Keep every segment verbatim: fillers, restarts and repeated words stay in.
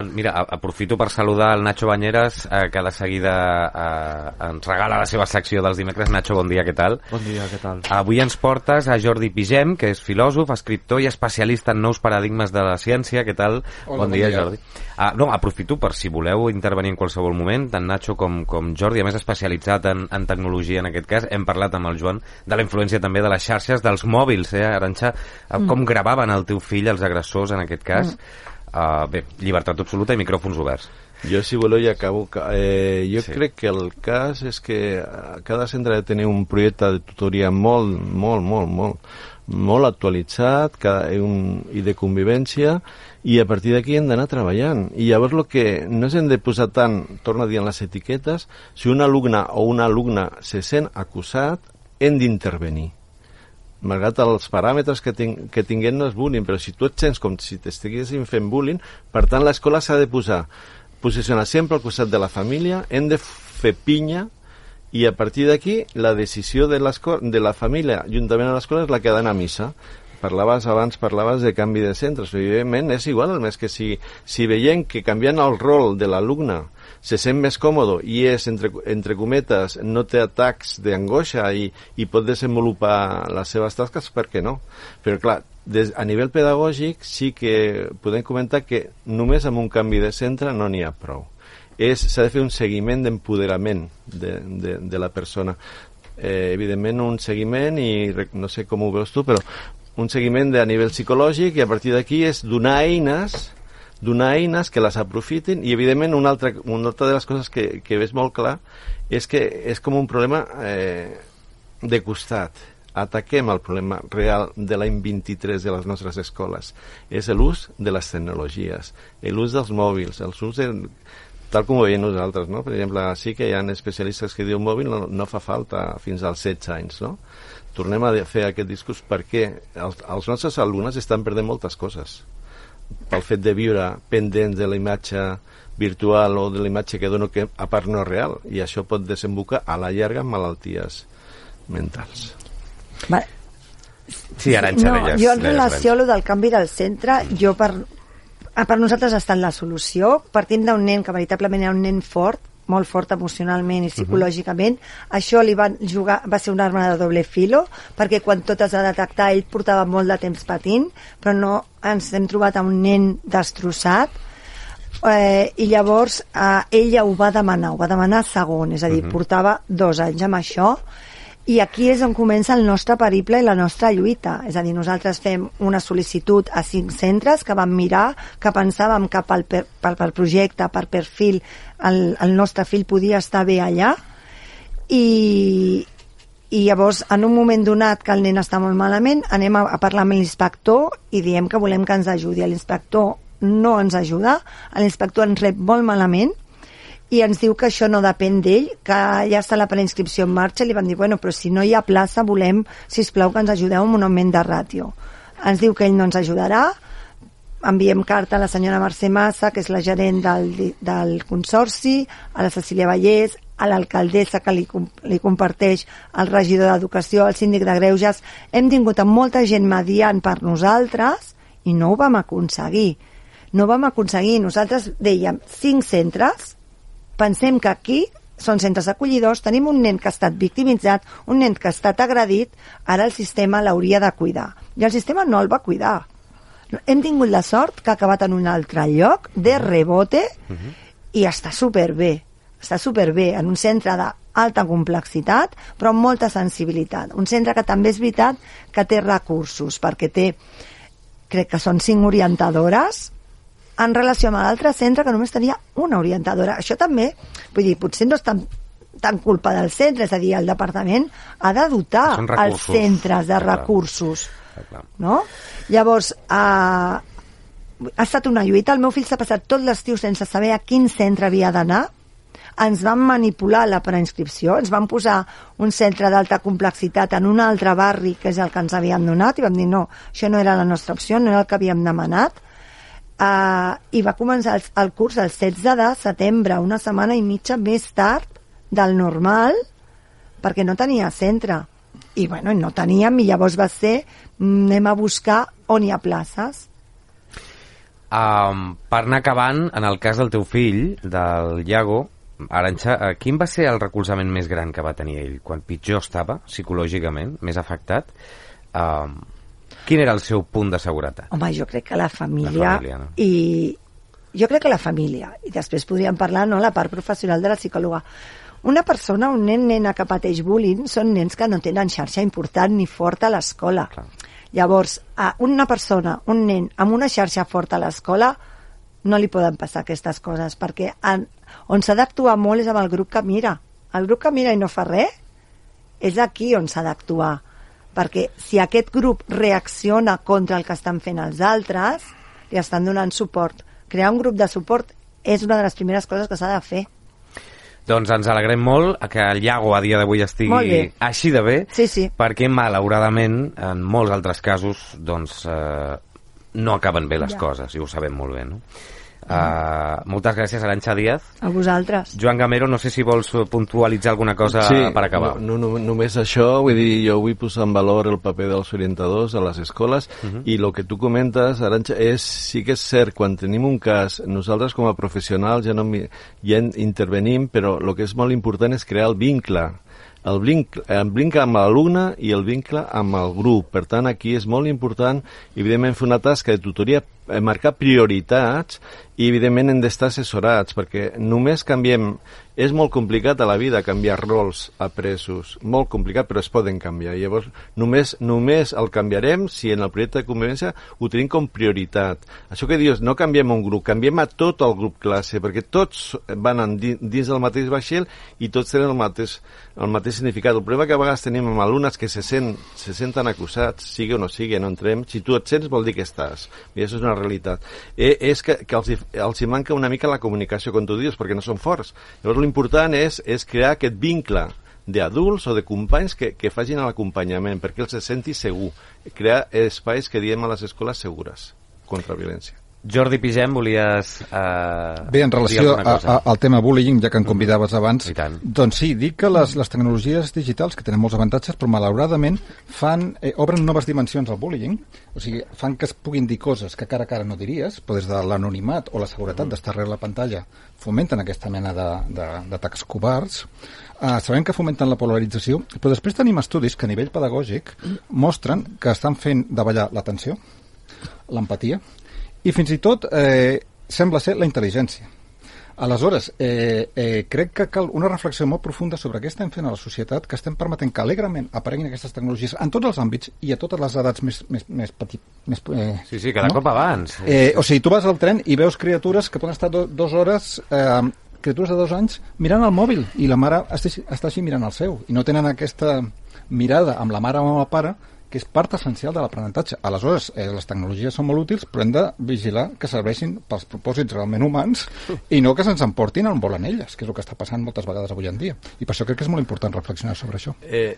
Mira, aprofito per saludar el Nacho Bañeres, eh, que de seguida eh, ens regala la seva secció dels dimecres. Nacho, bon dia, què tal? Bon dia, què tal? Avui ens portes a Jordi Pigem, que és filòsof, escriptor i especialista en nous paradigmes de la ciència. Què tal? Hola, bon, bon dia, dia, Jordi. Ah, no, aprofito per si voleu intervenir en qualsevol moment, tant Nacho com, com Jordi, a més especialitzat en, en tecnologia en aquest cas. Hem parlat amb el Joan de la influència també de les xarxes, dels mòbils, eh, Arantxa? Mm. Com gravaven el teu fill, els agressors, en aquest cas? Mm. Uh, bé, llibertat absoluta i micròfons oberts. Jo, si voleu, ja acabo. Eh, jo sí. crec que el cas és que cada centre ha de tenir un projecte de tutoria molt, molt, molt, molt, molt actualitzat cada, un, i de convivència, i a partir d'aquí hem d'anar treballant. I llavors el que no ens hem de posar tant, torno a dir, en les etiquetes, si un alumne o una alumna se sent acusat, hem d'intervenir. Malgrat els paràmetres que, ting que tinguem no és bullying, però si tu et sents com si t'estiguessin fent bullying, per tant l'escola s'ha de posar, posicionar sempre al costat de la família, hem de fer pinya, i a partir d'aquí la decisió de, de la família juntament amb l'escola és la que ha d'anar a missa. Parlaves abans, parlaves de canvi de centres, evidentment és igual, el més que si, si veiem que canviant el rol de l'alumne se sent més còmode i és, entre, entre cometes, no té atacs d'angoixa i, i pot desenvolupar les seves tasques, per què no? Però clar, des, a nivell pedagògic sí que podem comentar que només amb un canvi de centre no n'hi ha prou. S'ha de fer un seguiment d'empoderament de, de, de la persona. Eh, evidentment un seguiment, i no sé com ho veus tu, però un seguiment de, a nivell psicològic, i a partir d'aquí és donar eines donar eines que les aprofitin, i evidentment una altra, una altra de les coses que, que ves molt clar és que és com un problema eh, de costat. Ataquem el problema real de l'any vint-i-tres de les nostres escoles. És l'ús de les tecnologies, l'ús dels mòbils, el ús de, tal com ho veiem nosaltres, no? Per exemple, sí que hi ha especialistes que diuen mòbil no, no fa falta fins als setze anys, no? Tornem a fer aquest discurs perquè els, els nostres alumnes estan perdent moltes coses pel fet de viure pendents de la imatge virtual o de la imatge que dono que a part no és real, i això pot desembocar a la llarga en malalties mentals. Va. Sí, Arantxa, no, deies, jo en relació a lo del canvi del centre, jo per, per nosaltres ha estat la solució. Partim d'un nen que veritablement era un nen fort, molt fort emocionalment i psicològicament. Uh-huh. Això li van jugar, va ser una arma de doble filo, perquè quan tot es va detectar ell portava molt de temps patint, però no ens hem trobat a un nen destrossat, eh, i llavors eh, ella ho va demanar, ho va demanar segon, és a dir, uh-huh. portava dos anys amb això, i aquí és on comença el nostre periple i la nostra lluita. És a dir, nosaltres fem una sol·licitud a cinc centres que vam mirar, que pensàvem que pel, per, pel, pel projecte, per perfil, el, el nostre fill podia estar bé allà, i, i llavors, en un moment donat que el nen està molt malament, anem a, a parlar amb l'inspector i diem que volem que ens ajudi. L'inspector no ens ajuda, l'inspector ens rep molt malament, i ens diu que això no depèn d'ell, que ja està la preinscripció en marxa. Li vam dir, bueno, però si no hi ha plaça, volem, sisplau, que ens ajudeu amb un augment de ràtio. Ens diu que ell no ens ajudarà, enviem carta a la senyora Mercè Massa, que és la gerent del, del consorci, a la Cecília Vallès, a l'alcaldessa, que li, li comparteix el regidor d'Educació, el síndic de Greuges. Hem tingut amb molta gent mediant per nosaltres i no ho vam aconseguir. No ho vam aconseguir. Nosaltres dèiem cinc centres, pensem que aquí són centres acollidors, tenim un nen que ha estat victimitzat, un nen que ha estat agredit, ara el sistema l'hauria de cuidar. I el sistema no el va cuidar. Hem tingut la sort que ha acabat en un altre lloc, de rebote, uh-huh. i està superbé. Està superbé, en un centre d'alta complexitat, però amb molta sensibilitat. Un centre que també és veritat que té recursos, perquè té, crec que són cinc orientadores, en relació amb l'altre centre que només tenia una orientadora. Això també, vull dir, potser no és tan, tan culpa del centre, és a dir, el departament ha de dotar els centres de recursos. No? Llavors, eh, ha estat una lluita. El meu fill s'ha passat tot l'estiu sense saber a quin centre havia d'anar. Ens van manipular la preinscripció, ens van posar un centre d'alta complexitat en un altre barri, que és el que ens havien donat, i vam dir, no, això no era la nostra opció, no era el que havíem demanat. Uh, i va començar el, el curs el setze de setembre, una setmana i mitja més tard del normal, perquè no tenia centre. I bueno, no teníem, i llavors va ser, anem a buscar on hi ha places. Um, per anar acabant, en el cas del teu fill, del Iago, Arantxa, uh, quin va ser el recolzament més gran que va tenir ell? Quan pitjor estava, psicològicament, més afectat, um, quin era el seu punt de seguretat? Home, jo crec que la família, la família no? i jo crec que la família, i després podríem parlar, no?, la part professional de la psicòloga. Una persona, un nen, nena que pateix bullying, són nens que no tenen xarxa important ni forta a l'escola. Clar. Llavors, a una persona, un nen amb una xarxa forta a l'escola, no li poden passar aquestes coses, perquè en, on s'ha d'actuar molt és amb el grup que mira. El grup que mira i no fa res, és aquí on s'ha d'actuar. Perquè si aquest grup reacciona contra el que estan fent els altres, li estan donant suport. Crear un grup de suport és una de les primeres coses que s'ha de fer. Doncs ens alegrem molt que el Iago a dia d'avui estigui així de bé, sí, sí. perquè malauradament en molts altres casos doncs, eh, no acaben bé les ja. coses, i ho sabem molt bé, no? Uh, moltes gràcies, Arantxa Díaz. A vosaltres. Joan Gamero, no sé si vols puntualitzar alguna cosa sí, per acabar. No, no, només això, vull dir, jo vull posar en valor el paper dels orientadors a les escoles uh-huh. i el que tu comentes, Arantxa, és, sí que és cert, quan tenim un cas, nosaltres com a professionals ja, no, ja intervenim, però el que és molt important és crear el vincle. El vincle, el vincle amb l'alumne i el vincle amb el grup. Per tant, aquí és molt important, evidentment, fer una tasca de tutoria, marcar prioritats i, evidentment, hem d'estar assessorats, perquè només canviem... És molt complicat a la vida canviar rols apresos, molt complicat, però es poden canviar. Llavors, només, només el canviarem si en el projecte de convivència ho tenim com prioritat. Això que dius, no canviem un grup, canviem a tot el grup classe, perquè tots van en, dins del mateix vaixell i tots tenen el mateix, el mateix significat. El problema que a vegades tenim amb alumnes que se, sent, se senten acusats, sigui o no sigui, no entrem, si tu et sents vol dir que estàs. I això és una realitat. Eh, és que, que els, els hi manca una mica la comunicació, com tu dius, perquè no són forts. Llavors, l'important és, és crear aquest vincle d'adults o de companys que, que facin l'acompanyament, perquè els se senti segur. Crear espais que diem a les escoles segures contra violència. Jordi Pigem, volies eh, Bé, en relació a, a, al tema bullying, ja que em convidaves abans, doncs sí, dic que les, les tecnologies digitals, que tenen molts avantatges, però malauradament fan, eh, obren noves dimensions al bullying, o sigui, fan que es puguin dir coses que cara a cara no diries, però des de l'anonimat o la seguretat d'estar darrere la pantalla fomenten aquesta mena d'atacs covards. Uh, sabem que fomenten la polarització, però després tenim estudis que a nivell pedagògic mostren que estan fent davallar l'atenció, l'empatia, i fins i tot eh, sembla ser la intel·ligència. Aleshores, eh, eh, crec que cal una reflexió molt profunda sobre què estem fent a la societat, que estem permetent que alegrement apareguin aquestes tecnologies en tots els àmbits i a totes les edats més, més, més petit. Més, eh, sí, sí, cada no? cop abans. Eh, o sigui, tu vas al tren i veus criatures que poden estar do, dues hores... Eh, criatures de dos anys mirant el mòbil i la mare està, està així mirant el seu i no tenen aquesta mirada amb la mare o amb el pare, que és part essencial de l'aprenentatge. Aleshores, eh, les tecnologies són molt útils, però hem de vigilar que serveixin pels propòsits realment humans i no que se'ns emportin on volen elles, que és el que està passant moltes vegades avui en dia. I per això crec que és molt important reflexionar sobre això. Eh,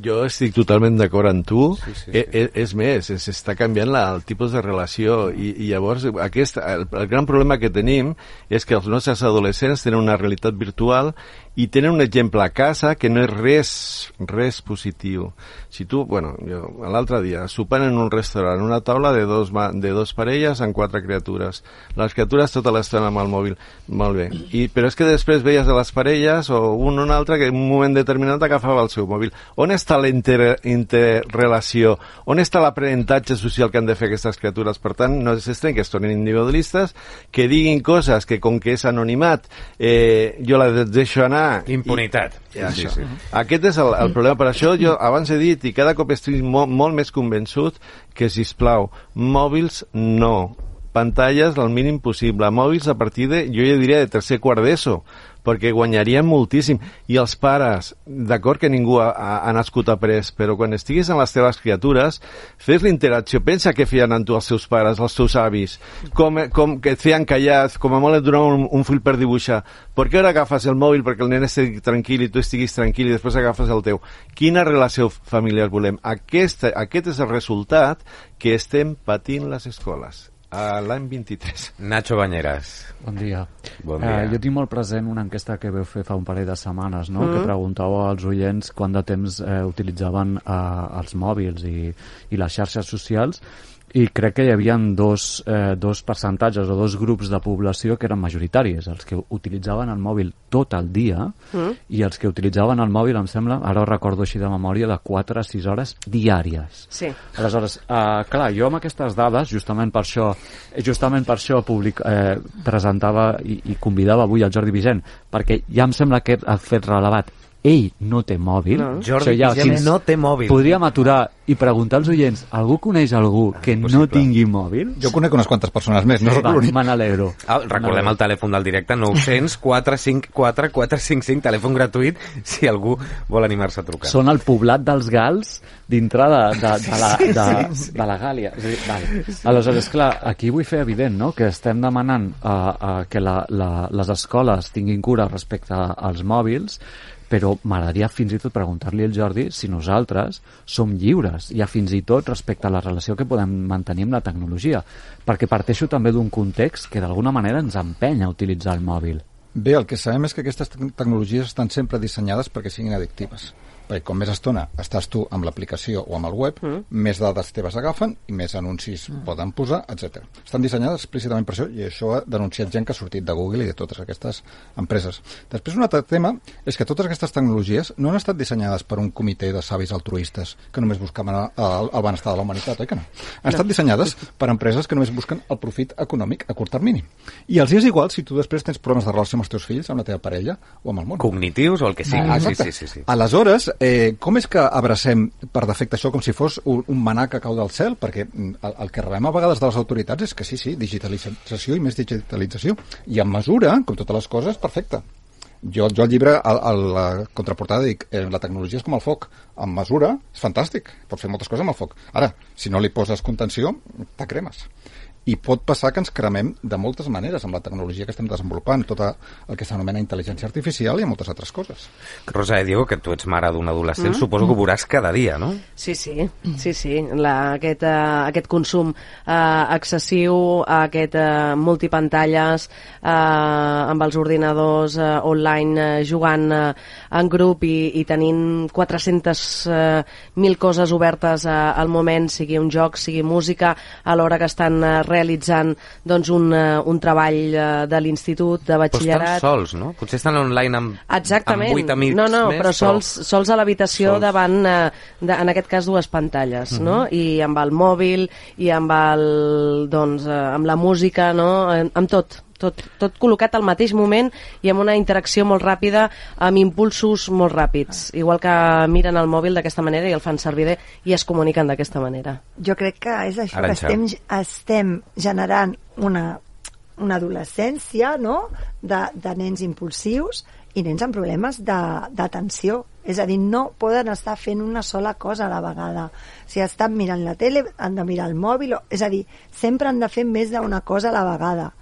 jo estic totalment d'acord amb tu. Sí, sí, sí. Eh, és més, s'està canviant la, el tipus de relació i, i llavors aquest, el, el gran problema que tenim és que els nostres adolescents tenen una realitat virtual i tenen un exemple a casa que no és res, res positiu. Si tu, bueno, jo l'altre dia, sopant en un restaurant, una taula de dos, de dos parelles amb quatre criatures. Les criatures tota l'estona amb el mòbil. Molt bé. I, però és que després veies a les parelles o un o un altre que en un moment determinat agafava el seu mòbil. On està la inter, interrelació? On està l'aprenentatge social que han de fer aquestes criatures? Per tant, no s'estrany que es tornin individualistes, que diguin coses que com que és anonimat, eh, jo la deixo anar. Impunitat. I, i això. Sí, sí. Aquest és el, el problema. Per això jo abans he dit, i cada cop estic molt, molt més convençut que, sisplau, mòbils no, pantalles al mínim possible, mòbils a partir de, jo ja diria, de tercer quart d'ESO, perquè guanyaríem moltíssim. I els pares, d'acord que ningú ha, ha nascut après, però quan estiguis amb les teves criatures, fes l'interacció, pensa què feien amb tu els seus pares, els teus avis, com, com que et feien callat, com a molt et donaven un, un fil per dibuixar. Per què ara agafes el mòbil perquè el nen estigui tranquil i tu estiguis tranquil i després agafes el teu? Quina relació familiar volem? Aquest, aquest és el resultat que estem patint les escoles a l'any vint-i-tres. Nacho Bañeras. Bon dia. Bon dia. Eh, jo tinc molt present una enquesta que vau fer fa un parell de setmanes, no? Uh-huh. Que preguntava als oients quant de temps eh, utilitzaven eh, els mòbils i, i les xarxes socials, I crec que hi havia dos, eh, dos percentatges o dos grups de població que eren majoritaris, els que utilitzaven el mòbil tot el dia mm. i els que utilitzaven el mòbil, em sembla, ara ho recordo així de memòria, de quatre a sis hores diàries. Sí. Aleshores, eh, clar, jo amb aquestes dades, justament per això, justament per això public, eh, presentava i, i convidava avui el Jordi Vigent, perquè ja em sembla que ha fet relevat. Ell no té mòbil. No. Jordi ja, Vigent no té mòbil. Podríem aturar i preguntar als oients, algú coneix algú que no tingui mòbil? Jo conec unes quantes persones més, no soc l'únic. Me n'alegro. Ah, recordem el telèfon del directe, nou cents quatre cinc quatre quatre cinc cinc, telèfon gratuït, si algú vol animar-se a trucar. Són el poblat dels Gals dintre de, de, de, la, de, de la Gàlia. És a dir, vale. Aleshores, clar, aquí vull fer evident, no?, que estem demanant uh, uh, que la, la, les escoles tinguin cura respecte als mòbils, però m'agradaria fins i tot preguntar-li al Jordi si nosaltres som lliures, ja fins i tot respecte a la relació que podem mantenir amb la tecnologia, perquè parteixo també d'un context que d'alguna manera ens empenya a utilitzar el mòbil. Bé, el que sabem és que aquestes tecnologies estan sempre dissenyades perquè siguin addictives. Perquè com més estona estàs tu amb l'aplicació o amb el web, mm. més dades teves agafen i més anuncis mm. poden posar, etcètera. Estan dissenyades explícitament per això, i això ha denunciat gent que ha sortit de Google i de totes aquestes empreses. Després, un altre tema és que totes aquestes tecnologies no han estat dissenyades per un comitè de savis altruistes que només buscaven el, el benestar de la humanitat, oi que no? Han no. estat dissenyades per empreses que només busquen el profit econòmic a curt termini. I els és igual si tu després tens problemes de relació amb els teus fills, amb la teva parella o amb el món. Cognitius o el que sigui. Ah, sí, sí, sí, sí. Aleshores, Eh, com és que abracem per defecte això com si fos un, un manà que cau del cel? Perquè el, el que rebem a vegades de les autoritats és que sí, sí, digitalització i més digitalització. I en mesura, com totes les coses, perfecte. Jo, jo al llibre, a, a la contraportada, dic eh, la tecnologia és com el foc. En mesura, és fantàstic. Pots fer moltes coses amb el foc. Ara, si no li poses contenció, te cremes. I pot passar que ens cremem de moltes maneres amb la tecnologia que estem desenvolupant, tot el que s'anomena intel·ligència artificial i moltes altres coses. Rosa de Diego, que tu ets mare d'un adolescent, mm. suposo que ho veuràs cada dia, no? Sí, sí, sí, sí. La, aquest, uh, aquest consum uh, excessiu, aquest uh, multipantalles, uh, amb els ordinadors uh, online uh, jugant uh, en grup i, i tenint quatre-centes mil coses obertes uh, al moment, sigui un joc, sigui música, a l'hora que estan uh, realitzant doncs, un, uh, un treball uh, de l'institut, de batxillerat. Però estan sols, no? Potser estan online amb, Exactament. amb vuit amics no, no, més. Però sols, però... sols a l'habitació sols. davant, uh, de, en aquest cas, dues pantalles, mm-hmm. no? I amb el mòbil, i amb, el, doncs, uh, amb la música, no? Amb tot. Tot, tot col·locat al mateix moment i amb una interacció molt ràpida, amb impulsos molt ràpids, igual que miren el mòbil d'aquesta manera i el fan servir bé i es comuniquen d'aquesta manera. Jo crec que és això, Ara que estem, estem generant una, una adolescència, no?, de, de nens impulsius i nens amb problemes d'atenció. És a dir, no poden estar fent una sola cosa a la vegada. Si estan mirant la tele, han de mirar el mòbil, o, és a dir, sempre han de fer més d'una cosa a la vegada.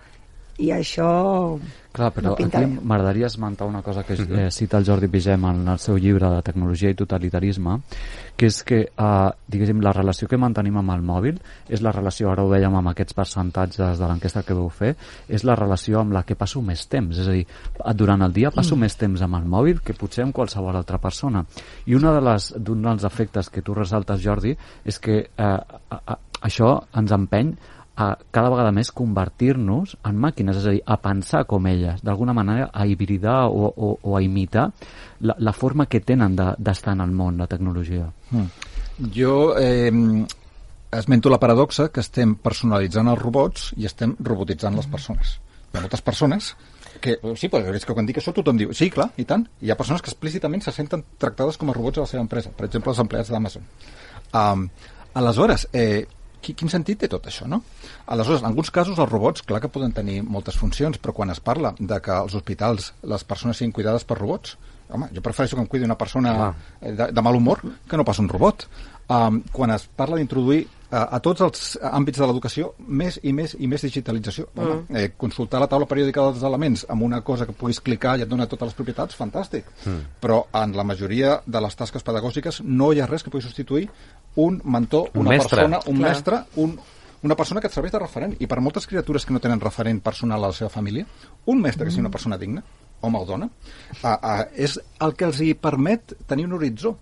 I això Clar, però no pinta aquí bé. M'agradaria esmentar una cosa que eh, cita el Jordi Vigem en el seu llibre de Tecnologia i Totalitarisme, que és que, eh, diguéssim, la relació que mantenim amb el mòbil és la relació, ara ho dèiem amb aquests percentatges de l'enquesta que vau fer, és la relació amb la que passo més temps. És a dir, durant el dia passo mm. més temps amb el mòbil que potser amb qualsevol altra persona. I una de les, d'un dels efectes que tu resaltes, Jordi, és que eh, a, a, això ens empeny a cada vegada més convertir-nos en màquines, és a dir, a pensar com elles, d'alguna manera a hibridar o, o, o a imitar la, la forma que tenen d'estar de, en el món, la tecnologia. Mm. Jo eh, esmento la paradoxa que estem personalitzant els robots i estem robotitzant les persones. Hi ha moltes persones que, sí, però és que quan dic això tothom diu, sí, clar, i tant. Hi ha persones que explícitament se senten tractades com a robots a la seva empresa, per exemple, els empleats d'Amazon. Um, aleshores, eh, quin sentit té tot això, no? Aleshores, en alguns casos els robots, clar que poden tenir moltes funcions, però quan es parla de que als hospitals les persones siguin cuidades per robots, home, jo prefereixo que em cuidi una persona de, de mal humor que no pas un robot. Um, quan es parla d'introduir a, a tots els àmbits de l'educació més i més i més digitalització. Home, mm. eh, consultar la taula periòdica dels elements amb una cosa que puguis clicar i et dona totes les propietats, fantàstic. Mm. Però en la majoria de les tasques pedagògiques no hi ha res que pugui substituir un mentor, un una mestre. persona, un Clar. mestre, un, una persona que et serveix de referent. I per moltes criatures que no tenen referent personal a la seva família, un mestre que sigui una persona digna, home o dona, uh, uh, és el que els hi permet tenir un horitzó.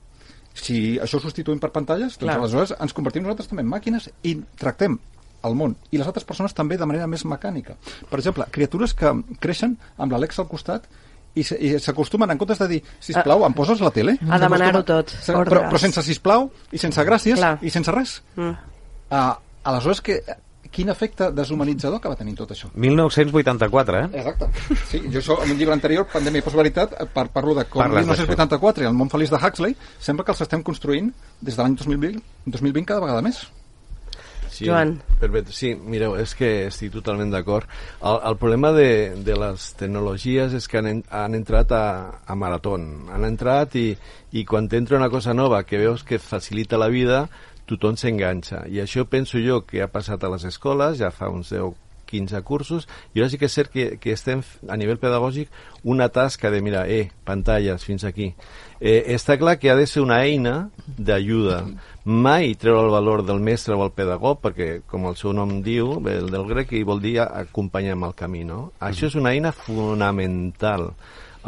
si això ho substituïm per pantalles, doncs Clar. aleshores ens convertim nosaltres també en màquines i tractem el món i les altres persones també de manera més mecànica. Per exemple, criatures que creixen amb l'Alexa al costat i s'acostumen, en comptes de dir sisplau, em poses la tele? A demanar-ho tot. Però, però sense sisplau i sense gràcies Clar. i sense res. Mm. Uh, aleshores, que, quin efecte deshumanitzador que va tenir tot això? mil nou-cents vuitanta-quatre, eh? Exacte. Sí, jo això, en un llibre anterior, Pandèmia i Postveritat, par parlo de com Parles mil nou-cents vuitanta-quatre i el món feliç de Huxley sembla que els estem construint des de l'any dos mil vint, dos mil vint cada vegada més. Sí, Joan. Perfecte. Sí, mireu, és que estic totalment d'acord. El, el problema de, de les tecnologies és que han, han entrat a, a maratón. Han entrat i, i quan t'entra una cosa nova que veus que facilita la vida, tothom s'enganxa. I això penso jo que ha passat a les escoles, ja fa uns deu quinze cursos, i ara sí que és cert que, que estem a nivell pedagògic una tasca de, mira, eh, pantalles, fins aquí. Eh, està clar que ha de ser una eina d'ajuda. Mai treure el valor del mestre o el pedagog, perquè, com el seu nom diu, el del grec, i vol dir acompanyar amb el camí, no? Això és una eina fonamental.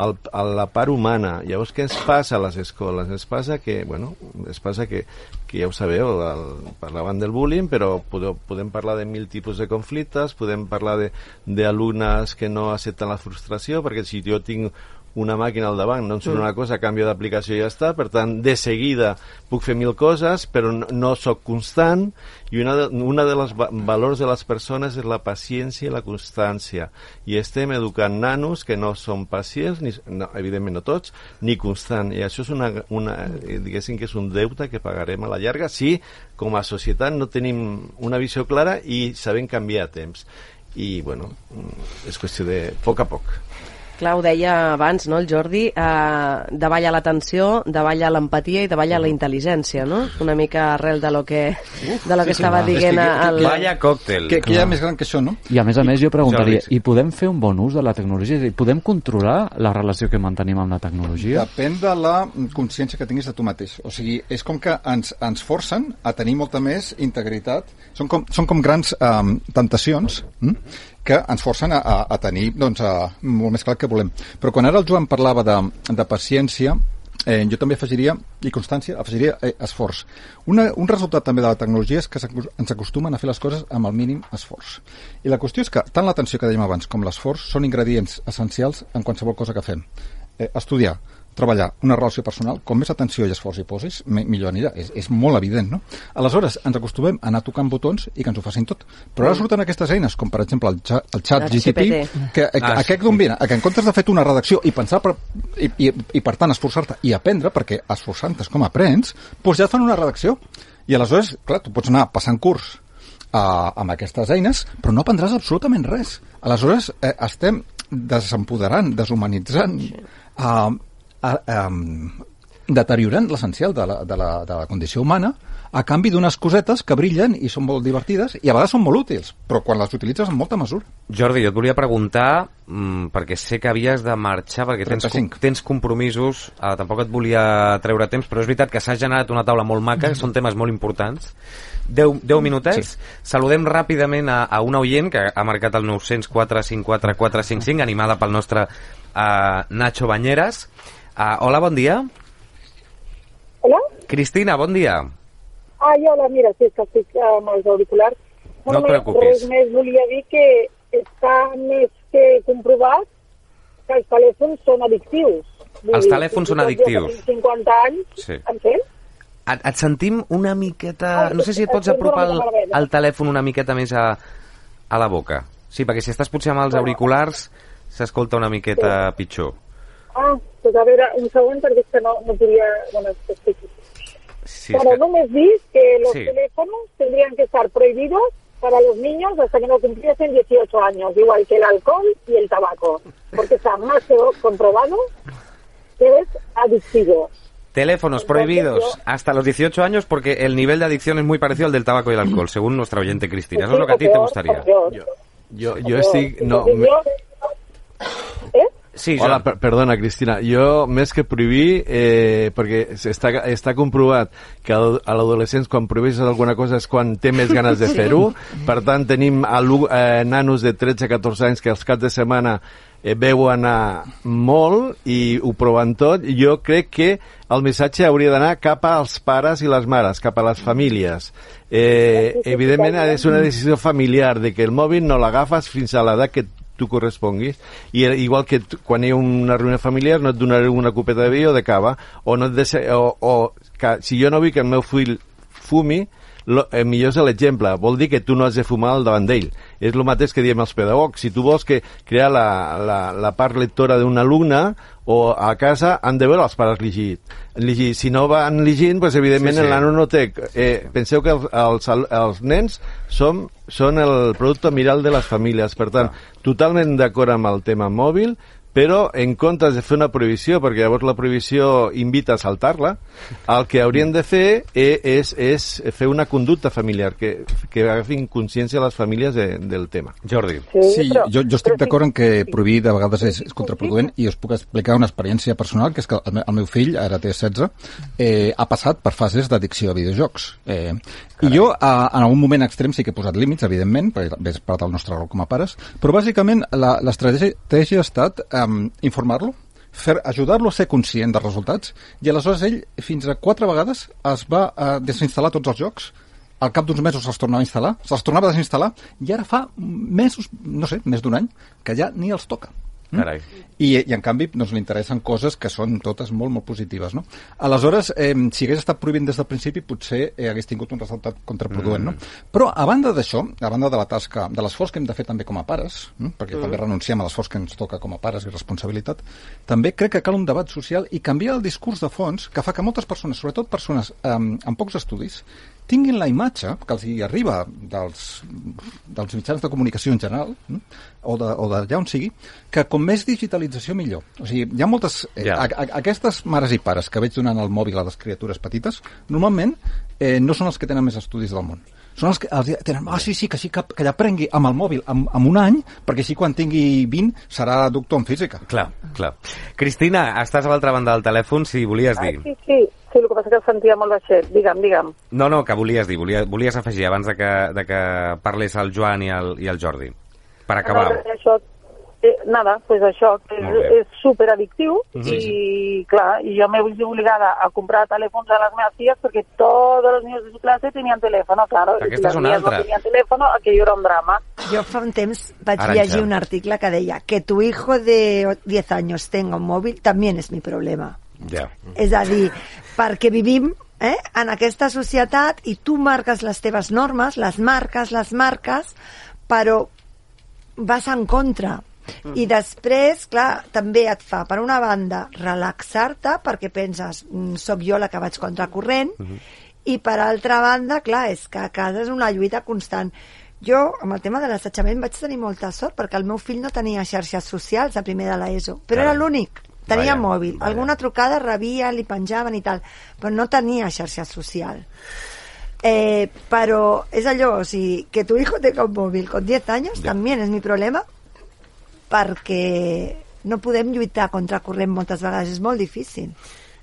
El, a la part humana. Llavors, què ens passa a les escoles? Ens passa que, bueno, ens passa que, que ja ho sabeu, el, parlaven del bullying, però podeu, podem parlar de mil tipus de conflictes, podem parlar d'alumnes que no accepten la frustració, perquè si jo tinc una màquina al davant, no em surt una cosa, canvio d'aplicació i ja està, per tant, de seguida puc fer mil coses, però no, no sóc constant, i una de, una de les va valors de les persones és la paciència i la constància, i estem educant nanos que no són pacients, ni, no, evidentment no tots, ni constant, i això és una, una, diguéssim que és un deute que pagarem a la llarga si com a societat no tenim una visió clara i sabem canviar a temps, i bueno, és qüestió de poc a poc. Clar, ho deia abans, no, el Jordi, eh, davalla l'atenció, davalla l'empatia i davalla la intel·ligència, no? Una mica arrel de lo que, Uf, de lo que sí, estava sí, dient... Que, el... Vaya còctel. Que, que hi ha més gran que això, no? I a més a més jo preguntaria, i podem fer un bon ús de la tecnologia? És a dir, podem controlar la relació que mantenim amb la tecnologia? Depèn de la consciència que tinguis de tu mateix. O sigui, és com que ens, ens forcen a tenir molta més integritat. Són com, són com grans um, tentacions, hm? que ens forcen a, a, a tenir doncs, a, molt més clar que volem. Però quan ara el Joan parlava de, de paciència, eh, jo també afegiria, i constància, afegiria eh, esforç. Una, un resultat també de la tecnologia és que ens acostumen a fer les coses amb el mínim esforç. I la qüestió és que tant l'atenció que dèiem abans com l'esforç són ingredients essencials en qualsevol cosa que fem. Eh, estudiar, treballar una relació personal, com més atenció i esforç hi posis, millor anirà. És, és molt evident, no? Aleshores, ens acostumem a anar tocant botons i que ens ho facin tot. Però ara surten aquestes eines, com per exemple el, xat, el xat G P T, que, que ah, aquest d'on vine, que en comptes de fer una redacció i pensar per, i, i, i per tant esforçar-te i aprendre, perquè esforçant-te és com aprens, doncs ja et fan una redacció. I aleshores, clar, tu pots anar passant curs uh, amb aquestes eines, però no aprendràs absolutament res. Aleshores, eh, estem desempoderant, deshumanitzant, uh, A, um, deteriorant l'essencial de, la, de, la, de la condició humana a canvi d'unes cosetes que brillen i són molt divertides i a vegades són molt útils, però quan les utilitzes amb molta mesura. Jordi, jo et volia preguntar, mmm, perquè sé que havies de marxar, perquè tens, tens compromisos, eh, tampoc et volia treure temps, però és veritat que s'ha generat una taula molt maca, són temes molt importants. Deu, deu minutets. Sí. Saludem ràpidament a, a una oient que ha marcat el nou zero quatre cinc quatre quatre cinc cinc, animada pel nostre uh, Nacho Bañeras. Uh, hola, bon dia. Hola? Cristina, bon dia. Ah, ja, hola, mira, sí, és que estic amb els auriculars. No et preocupis. Res més volia dir que està més que comprovat que els telèfons són addictius. Els telèfons són addictius. cinquanta anys, sí. En què? Et, et sentim una miqueta... No sé si et pots apropar el, el telèfon una miqueta més a, a la boca. Sí, perquè si estàs potser amb els auriculars s'escolta una miqueta sí. pitjor. Ah, pues a veure, un segon, perquè és que no, no podia... Bueno, sí, Pero que... només dic que los sí. teléfonos tendrían que estar prohibidos para los niños hasta que no cumpliesen dieciocho años, igual que el alcohol y el tabaco, porque está más que comprobado que es adictivo. Teléfonos prohibidos yo... hasta los dieciocho años porque el nivel de adicción es muy parecido al del tabaco y el alcohol, según nuestra oyente Cristina. Eso es lo que a ti te gustaría. Yo, yo, yo estic... No, me... ¿Eh? Sí, Hola, per perdona, Cristina. Jo, més que prohibir, eh, perquè està, està comprovat que a l'adolescents quan prohibeixes alguna cosa és quan té més ganes de fer-ho. Per tant, tenim eh, nanos de tretze a catorze anys que als caps de setmana eh, veu anar molt i ho proven tot. Jo crec que el missatge hauria d'anar cap als pares i les mares, cap a les famílies. Eh, evidentment, és una decisió familiar de que el mòbil no l'agafes fins a l'edat que tu corresponguis, i igual que tu, quan hi ha una reunió familiar no et donaré una copeta de vi o de cava, o, no et deixa, o, o que, si jo no vull que el meu fill fumi, lo, eh, millor és l'exemple, vol dir que tu no has de fumar al davant d'ell. És el mateix que diem els pedagogs. Si tu vols que crear la, la, la part lectora d'un alumne, o a casa han de veure els pares llegir. llegir. Si no van llegint, pues, evidentment sí, sí. el nano no té... Eh, penseu que els, els, els nens són, són el producte miral de les famílies. Per tant, totalment d'acord amb el tema mòbil, però en comptes de fer una prohibició, perquè llavors la prohibició invita a saltar-la, el que haurien de fer és, és fer una conducta familiar, que, que agafin consciència les famílies de, del tema. Jordi. Sí, però, jo, jo estic d'acord en que prohibir de vegades és, és contraproduent, i us puc explicar una experiència personal, que és que el, el meu fill, ara té setze, eh, ha passat per fases d'addicció a videojocs. Eh, I jo, a, en algun moment extrem, sí que he posat límits, evidentment, perquè és part del nostre rol com a pares, però bàsicament l'estratègia ha estat um, informar-lo, fer, ajudar-lo a ser conscient dels resultats, i aleshores ell fins a quatre vegades es va uh, desinstal·lar tots els jocs, al cap d'uns mesos se'ls tornava a instal·lar, se'ls tornava a desinstal·lar, i ara fa mesos, no sé, més d'un any, que ja ni els toca. Carai. I, i en canvi doncs, li interessen coses que són totes molt, molt positives, no? Aleshores, eh, si hagués estat prohibint des del principi, potser eh, hagués tingut un resultat contraproduent, mm. no? Però, a banda d'això, a banda de la tasca, de l'esforç que hem de fer també com a pares, no? Perquè mm. també renunciem a l'esforç que ens toca com a pares i responsabilitat, també crec que cal un debat social i canviar el discurs de fons que fa que moltes persones, sobretot persones eh, amb pocs estudis, tinguin la imatge que els hi arriba dels, dels mitjans de comunicació en general, no? o d'allà on sigui, que com més digitalització millor. O sigui, hi ha moltes... Eh, yeah. a, a, aquestes mares i pares que veig donant el mòbil a les criatures petites, normalment eh, no són els que tenen més estudis del món. Són els que els tenen, ah, sí, sí, que sí, que, que l'aprengui amb el mòbil amb, amb un any, perquè així quan tingui vint serà doctor en física. Clar, clar. Cristina, estàs a l'altra banda del telèfon, si volies dir. Ah, sí, sí. Sí, el que passa que el sentia molt baixet. Digue'm, digue'm. No, no, que volies dir, volies, volies afegir abans de que, de que parlés el Joan i el, i el Jordi. Per acabar. No, això, eh, nada, pues això, que és, és superaddictiu mm -hmm. i, clar, i jo m'he vist obligada a comprar telèfons a les meves filles perquè tots els niños de su clase tenien telèfon, claro. Aquesta és una altra. No tenien telèfon, aquello era un drama. Jo fa un temps vaig Arancha. llegir un article que deia que tu hijo de diez años tenga un mòbil también es mi problema. Ja. És a dir, perquè vivim eh, en aquesta societat i tu marques les teves normes, les marques, les marques, però vas en contra. Mm. I després, clar, també et fa, per una banda, relaxar-te, perquè penses, soc jo la que vaig contracorrent, mm -hmm. i per altra banda, clar, és que a casa és una lluita constant. Jo, amb el tema de l'assetjament, vaig tenir molta sort, perquè el meu fill no tenia xarxes socials a primer de l'ESO, però era l'únic. Tenia vaya, mòbil, vaya. Alguna trucada rebia, li penjaven i tal, però no tenia xarxa social. Eh, però és allò, o sigui, que tu hijo tenga un mòbil con diez años ja. También és mi problema, perquè no podem lluitar contra corrent moltes vegades, és molt difícil.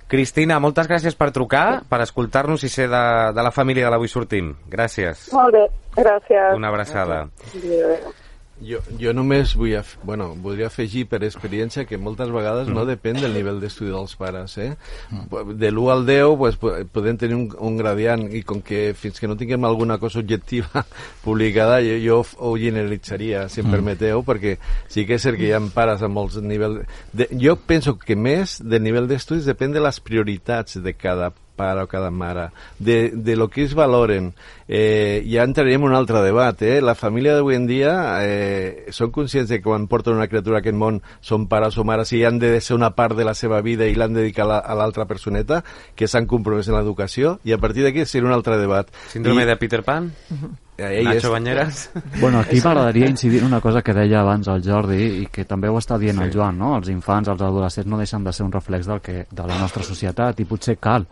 Cristina, moltes gràcies per trucar, per escoltar-nos i ser de, de la família de l'Avui Sortim. Gràcies. Molt bé, gràcies. Una abraçada. Gràcies. Jo, jo només vull af bueno, voldria afegir per experiència que moltes vegades mm. no depèn del nivell d'estudi dels pares. Eh? Mm. De l'u al deu pues, podem tenir un, un gradient i com que fins que no tinguem alguna cosa objectiva publicada jo, jo ho generalitzaria, si em mm. permeteu, perquè sí que és cert que hi ha pares amb molts nivells... De, jo penso que més del nivell d'estudis depèn de les prioritats de cada pare o cada mare, de, de lo que es valoren. Eh, ja entrarem en un altre debat. Eh? La família d'avui en dia eh, són conscients de que quan porten una criatura a aquest món són pares o mares i han de ser una part de la seva vida i l'han de dedicar a l'altra personeta que s'han compromès en l'educació, i a partir d'aquí serà un altre debat. Síndrome I... de Peter Pan? Uh-huh. Nacho Banyeres? Bueno, aquí m'agradaria incidir en una cosa que deia abans el Jordi i que també ho està dient sí. el Joan, no? Els infants, els adolescents no deixen de ser un reflex del que, de la nostra societat, i potser cal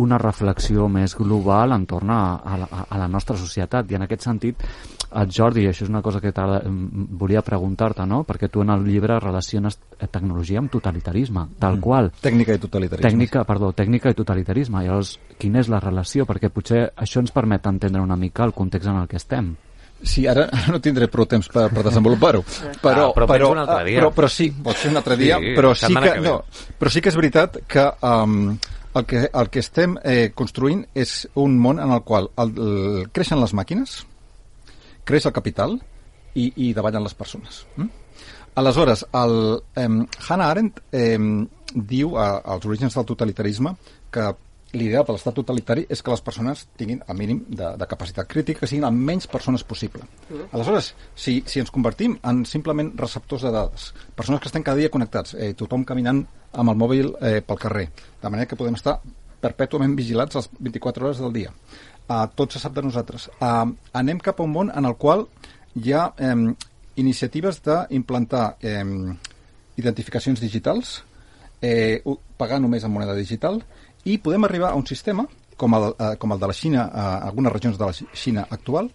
una reflexió més global entorn a, a, la, a la nostra societat, i en aquest sentit el Jordi, això és una cosa que volia preguntar-te, no? Perquè tu en el llibre relaciones tecnologia amb totalitarisme, tal mm. qual. Tècnica i totalitarisme. Tècnica, perdó, tècnica i totalitarisme. Llavors, quina és la relació? Perquè potser això ens permet entendre una mica el context en el que estem. Sí, ara no tindré prou temps per, per desenvolupar-ho. Però, ah, però, però, un altre dia. però, però sí, pot ser un altre dia, sí, però, sí que, que no, però sí que és veritat que um, el, que, el que estem eh, construint és un món en el qual el, el, creixen les màquines, creix el capital i, i davallen les persones. Mm? Aleshores, el, eh, Hannah Arendt eh, diu a, als orígens del totalitarisme que l'ideal de l'estat totalitari és que les persones tinguin el mínim de, de capacitat crítica, que siguin el menys persones possible. Mm. Aleshores, si, si ens convertim en simplement receptors de dades, persones que estem cada dia connectats, eh, tothom caminant amb el mòbil eh, pel carrer, de manera que podem estar perpètuament vigilats les vint-i-quatre hores del dia. Uh, tot se sap de nosaltres. Uh, anem cap a un món en el qual hi ha eh, iniciatives d'implantar eh, identificacions digitals, eh, pagar només en moneda digital, i podem arribar a un sistema, com el, eh, com el de la Xina, a eh, algunes regions de la Xina actual,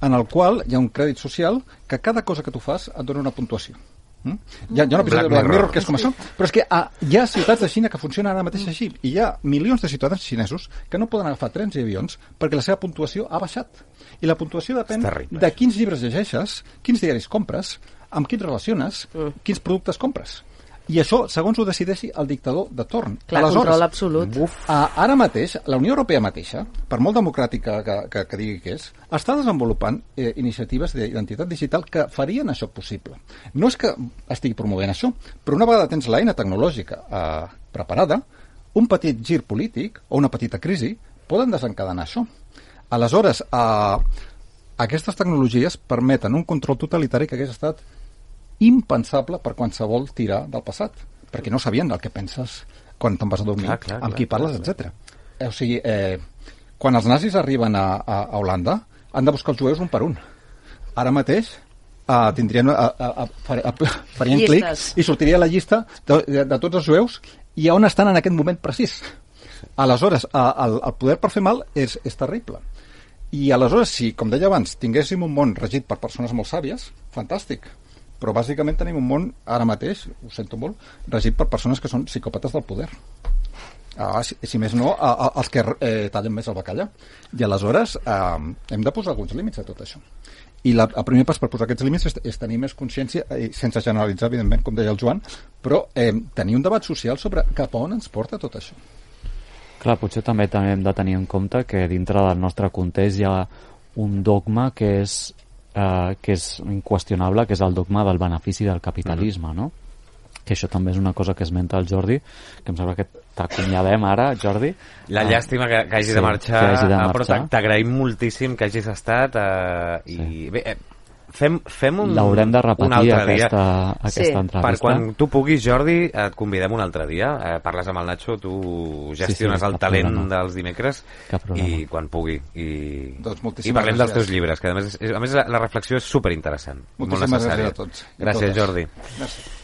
en el qual hi ha un crèdit social que cada cosa que tu fas et dona una puntuació. Mm? Hi ha, hi ha un episodi de Black Mirror que és com això, però és que ah, hi ha ciutats de Xina que funcionen ara mateix així, i hi ha milions de ciutadans xinesos que no poden agafar trens i avions perquè la seva puntuació ha baixat. I la puntuació depèn de quins llibres llegeixes, quins diaris compres, amb quins relaciones, mm. quins productes compres. I això, segons ho decideixi el dictador de torn. Clar, aleshores, control absolut. Uf, ara mateix, la Unió Europea mateixa, per molt democràtica que, que, que digui que és, està desenvolupant eh, iniciatives d'identitat digital que farien això possible. No és que estigui promovent això, però una vegada tens l'eina tecnològica eh, preparada, un petit gir polític o una petita crisi poden desencadenar això. Aleshores, eh, aquestes tecnologies permeten un control totalitari que hagués estat impensable per qualsevol tirar del passat, perquè no sabien el que penses quan te'n vas a dormir, clar, clar, amb qui parles, etcètera. O sigui, eh, quan els nazis arriben a, a, a Holanda, han de buscar els jueus un per un. Ara mateix eh, tindrien, a, a, a, a, farien clic i sortiria la llista de, de, de tots els jueus i on estan en aquest moment precís. Aleshores, a, el, el poder per fer mal és, és terrible. I aleshores, si, com deia abans, tinguéssim un món regit per persones molt sàvies, fantàstic. Però bàsicament tenim un món, ara mateix, ho sento molt, regit per persones que són psicòpates del poder. Ah, si, si més no, a, a, els que eh, tallen més el bacallà. I aleshores eh, hem de posar alguns límits a tot això. I la, el primer pas per posar aquests límits és, és tenir més consciència, eh, sense generalitzar, evidentment, com deia el Joan, però eh, tenir un debat social sobre cap a on ens porta tot això. Clar, potser també, també hem de tenir en compte que dintre del nostre context hi ha un dogma que és Uh, que és inqüestionable, que és el dogma del benefici del capitalisme, mm-hmm. no? Que això també és una cosa que esmenta el Jordi, que em sembla que t'acomiadem ara, Jordi. La uh, llàstima que, que hagi sí, de marxar, hagi de marxar. Però t'agraïm moltíssim que hagis estat uh, i sí. bé, eh, fem, fem un, l'haurem de repetir aquesta, aquesta sí. entrevista. Per quan tu puguis, Jordi, et convidem un altre dia, eh, parles amb el Nacho, tu gestiones sí, sí, el talent problema. dels dimecres i quan pugui i, doncs i parlem gràcies. dels teus llibres, que a més, és, a més la, la reflexió és superinteressant, molt necessària. Gràcies a tots. Gràcies, Jordi. Gràcies.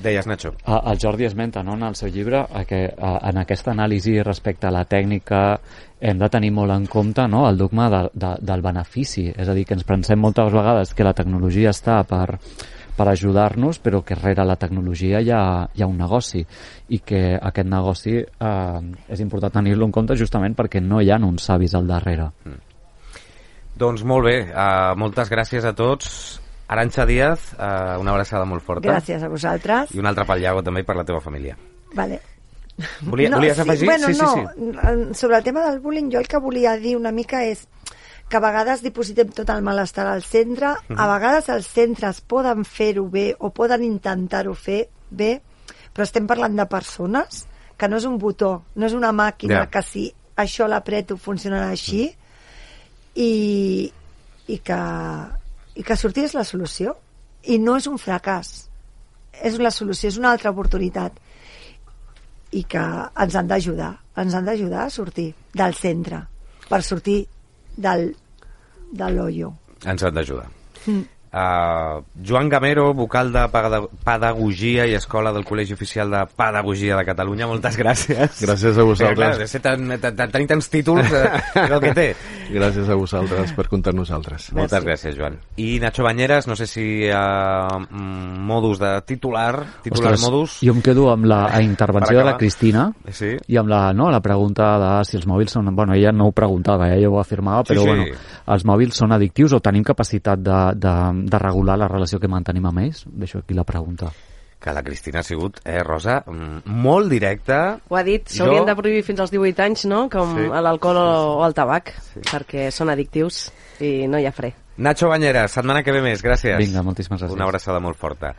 Deies, Nacho. El Jordi esmenta, no, en el seu llibre que en aquesta anàlisi respecte a la tècnica hem de tenir molt en compte, no, el dogma de, de, del benefici, és a dir, que ens pensem moltes vegades que la tecnologia està per, per ajudar-nos, però que rere la tecnologia hi ha, hi ha un negoci i que aquest negoci eh, és important tenir-lo en compte justament perquè no hi ha uns savis al darrere. Mm. Doncs molt bé, uh, moltes gràcies a tots. Arantxa Díaz, uh, una abraçada molt forta. Gràcies a vosaltres. I una altra pel Iago també per la teva família. Vale. Volia, no, volies afegir? Sí, bueno, sí, sí, no. sí. Sobre el tema del bullying, jo el que volia dir una mica és que a vegades dipositem tot el malestar al centre, uh-huh. a vegades els centres poden fer-ho bé o poden intentar-ho fer bé, però estem parlant de persones, que no és un botó, no és una màquina yeah. que si això l'apreto funcionarà així, uh-huh. i, i que... i que sortir és la solució i no és un fracàs, és la solució, és una altra oportunitat i que ens han d'ajudar ens han d'ajudar a sortir del centre per sortir del, de l'hoyo. Ens han d'ajudar. mm. Uh, Joan Gamero, vocal de Pedagogia i Escola del Col·legi Oficial de Pedagogia de Catalunya, moltes gràcies. Gràcies a vosaltres. Clar, ser tan, tan, tan, tenir tants títols, eh, és el que té. Gràcies a vosaltres per comptar nosaltres. Merci. Moltes gràcies, Joan. I Nacho Bañeras, no sé si hi ha uh, modus de titular, titular Ostres, modus. Jo em quedo amb la intervenció de la Cristina sí. i amb la, no, la pregunta de si els mòbils són... Bueno, ella no ho preguntava, ella ho afirmava, però sí, sí. bueno, els mòbils són addictius o tenim capacitat de, de, de regular la relació que mantenim amb ells? Deixo aquí la pregunta. Que la Cristina ha sigut, eh, Rosa, molt directa. Ho ha dit, s'haurien jo... de prohibir fins als divuit anys, no?, com sí. l'alcohol o, o el tabac, sí. perquè són addictius i no hi ha fre. Nacho Bañeras, setmana que ve més, gràcies. Vinga, moltíssimes gràcies. Una abraçada molt forta.